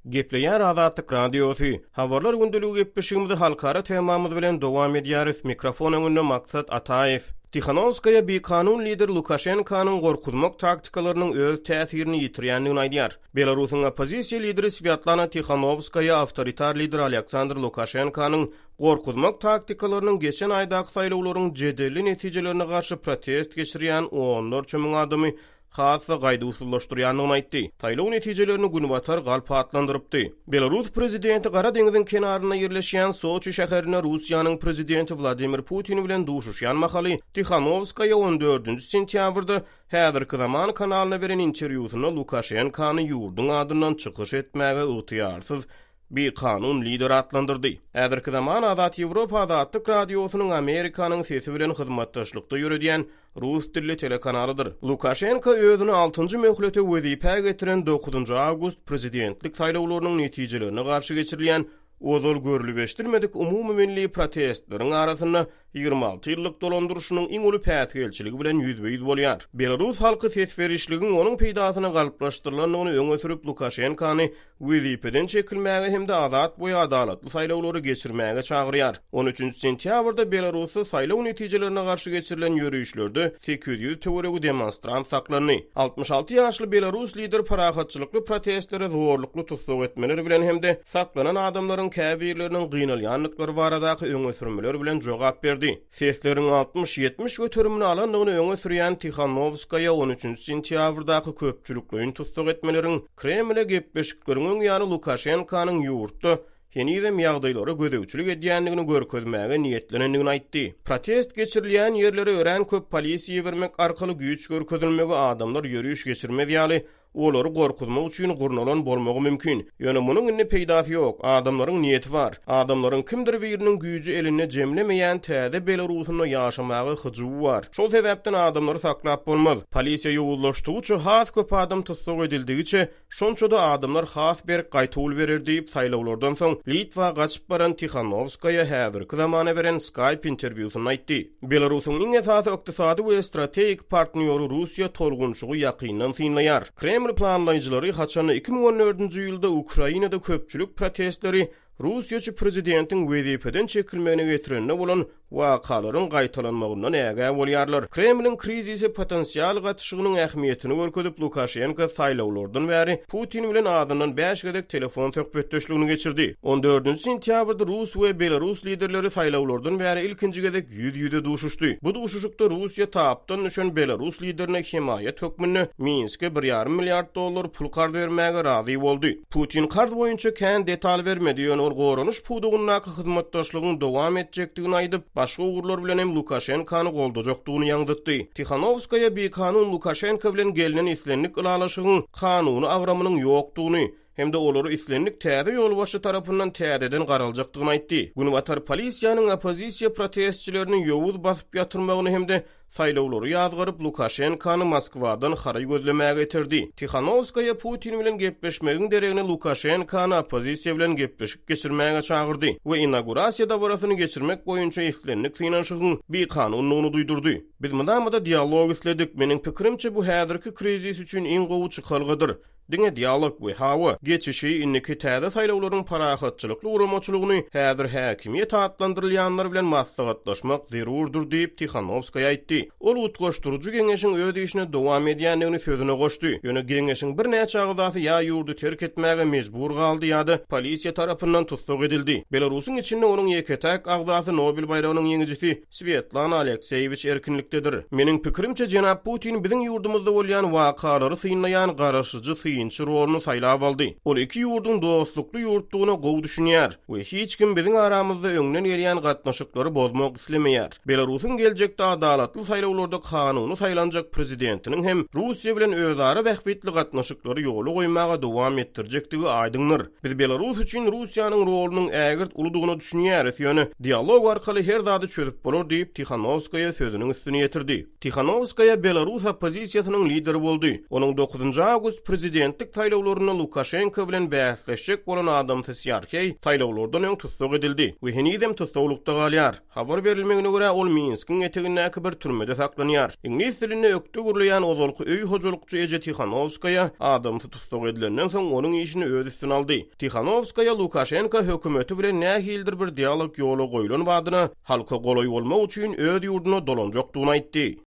Gepleýär Azatlyk Radiosy. Habarlar gündeligi gepleşigimizi halkara temamyz bilen dowam edýäris. Mikrofon öňünde Maksat Ataýew. Tihanowskaýa bikanun lider Lukaşenkanyň gorkuzmak taktikalarynyň öz täsirini ýitirýändigini aýdýar. Belarusyň oppozisiýa lideri Swýatlana Tihanowskaýa awtoritar lider Alýaksandr Lukaşenkanyň gorkuzmak taktikalarynyň geçen aýdaky saýlawlaryň jedelli netijelerine garşy protest geçirýän onlarça müň adamy has-da gaýduwsyzlaşdyrýandygyny aýtdy. Saýlaw netijelerini Günbatar galp atlandyrypdy. Belarus prezidenti Gara deňziň kenarynda ýerleşýän Soçi şäherinde Russiýanyň prezidenti Wladimir Putin bilen duşuşýan mahaly Tihanowskaýa on dördünji sentýabrda Häzirki zaman kanalyna beren interwýusynda Lukaşenkany ýurduň adyndan çykyş etmäge ygtyýarsyz bikanun lider atlandyrdy. Häzirki zaman Azat Ýewropa Azatlyk Radiosynyň Amerikanyň Sesi bilen hyzmatdaşlykda ýöredýän rus dilli telekanalydyr. Lukaşenko özüni altynjy möhlete wezipä getiren dokuzynjy awgust prezidentlik saýlawlarynyň netijelerine garşy geçirilýän ozal görlüp-eşidilmedik umumymilli protestleriň arasynda 26 ýyllyk dolandyryşynyň iň uly päsgelçiligi bilen ýüzbe-ýüz bolýar. Belarus halky ses berişligiň onuň peýdasyna galplaşdyrylandygyny öňe sürüp, Lukaşenkany wezipeden çekilmäge hem-de azat we adalatly saýlawlary geçirmäge çagyrýar. On üçünji sentýabrda Belarusda saýlaw netijelerine garşy geçirilen ýörişlerde 800 töweregi demonstrant saklandy. 66 ýaşly belarus lider parahatçylykly protestlere zorlukly tussag etmeler bilen hem-de saklanan adamlaryň käbirleriniň gynalýandyklary baradaky öňe sürmeler bilen jogap berdi. Sesleriň 60-70 göterimini alandygyny öňe sürýän Tihanowskaýa on üçünji sentýabrdaky köpçülikleýin tussag etmeleriň Kremle gepleşikleriň öň ýany Lukaşenkanyň ýurtda henizem ýagdaýlara gözegçilik edýändigini görkezmäge niýetlenendigini aýtdy. Protest geçirilýän ýerlere örän köp polisiýa ibermek arkaly güýç görkezilmegi adamlar ýöriş geçirmez ýaly Olary gorkuzmak üçin gurnalan bolmagy mümkin. Ýöne munuň indi peýdasy ýok. Adamlaryň niýeti bar. Adamlaryň kimdir biriniň güýji elinde jemlemeýän täze Belarusynda ýaşamaga hyjuwy bar. Şol sebäpden adamlary saklap bolmaz. Polisiýa ýowuzlaşdygyça, has köp adam tussag edildigiçe, şonça-da adamlar has berk gaýtawul berer diýip, saýlawlardan soň Litwa gaçyp baran Tihanowskaýa häzirki zamana beren Skype interwýusynda aýtdy. Belarusyň iň esasy ykdysady we strategik partnýory Russiýa tolgunşygy ýakyndan synlaýar. Kreml planlaýjylary haçanda 2014-nji ýylda Ukrainada köpçülik protestleri russiýaçy prezidentiň wezipeden çekilmegine getirende bolan wakalaryň gaýtalanmagyndan ägä bolýarlar. Kremliň krizise potensial gatyşygynyň ähmiýetini görkezip, Lukaşenko saýlawlardan bäri Putin bilen azyndan bäş gezek telefon söhbetdeşligini geçirdi. On dördünji sentýabrda rus we belarus liderleri saýlawlardan bäri ilkinji gezek ýüz-ýüze duşuşdy. Bu duşuşykda Russiýa tapdan düşen belarus liderine hemaýat hökmünde Minske bir ýarym milliard dollar pul karz bermäge razy boldy. Putin karz boýunça kän detal bermedi, ýöne ol goranyş pudagyndaky hyzmatdaşlygyň dowam etjekdigini aýdyp, başga ugurlar bilen hem Lukaşenkany goldajakdygyny ýaňzytdy. Tihanowskaýa bikanun Lukaşenko bilen gelnen islendik ylalaşygyň kanuny agramynyň ýokdugyny hem-de olary islendik täze ýolbaşçy tarapyndan täzeden garaljakdygyny aýtdy. Günbatar polisiýanyň oppozisiýa protestçilerini ýowuz basyp ýatyrmagyny hem-de Saýlawlary ýazgaryp, Lukaşenkany Moskwadan haraý gözlemäge iterdi. Tihanowskaýa Putin bilen gepleşmegiň deregine Lukaşenkany oppozisiýa bilen gepleşik geçirmäge çagyrdy we inaugurasiýa dabarasyny geçirmek boýunça islendik synanyşygyň bikanundygyny duýdurdy. Biz mydama-da dialog isledik. Meniň pikirimçe, bu häzirki krizis üçin iň gowy çykalgadyr. Diňe dialog we hawa, geçişi, indiki täze saýlawlaryň parahatçylykly guramaçylygyny häzir häkimiýet atlandyrylýanlar bilen maslahatlaşmak zerurdyr diýip, Tihanowskaýa aýtdy. Ol utgaşdyryjy geňeşiň öz işine dowam edýändigini sözüne goşdy. Ýöne geňeşiň birnäçe agzasy ýa ýurdy terk etmäge mejbur galdy ýa-da polisiýa tarapyndan tussag edildi. Belarusyň içinde onuň ýeke-täk agzasy Nobel baýragynyň ýeňijisi Swetlana Alekseýewiç erkinlikdedir. Meniň pikirimçe, jenap Putin biziň ýurdumyzda bolýan wakalary synlaýan garaşyjy synçy roluny saýlap aldy. Ol iki ýurduň dostlukly ýurtdugyna gowy düşünýär we hiç kim biziň aramyzda öňden gelýän gatnaşyklary bozmak islemeýär. Belarusyň geljekde adalatly saýlawlarda kanuny saýlanjak prezidentiniň hem Russiýa bilen özara bähbitli gatnaşyklary ýola goýmaga dowam etdirjekdigi aýdyňdyr. Biz Belarus üçin Russiýanyň rolunyň ägirt uludygyna düşünýäris, ýöne dialog arkaly her zady çözüp bolar diýip, Tihanowskaýa sözüniň üstüni ýetirdi. Tihanowskaýa belarus oppozisiýasynyň lideri boldy. Onuň dokuzynjy awgust prezidentlik saýlawlarynda Lukaşenko bilen bäsleşjek bolan adamsy Sýarheý saýlawlardan öň tussag edildi we henizem tussaglykda galýar. Habar berilmegine görä, ol Minskiň etegindäki bir türmede. türmede saklanýar. Iňlis dilinde ökde gürleýän ozalky öý hojalykçy eje Tihanowskaýa adamsy tussag edilenden soň onuň işini öz üstüne aldy. Tihanowskaýa Lukaşenka hökümeti bilen nähilidir bir dialog ýola goýlan badyna halka golaý bolmak üçin öz ýurduna dolanjakdygyny aýtdy.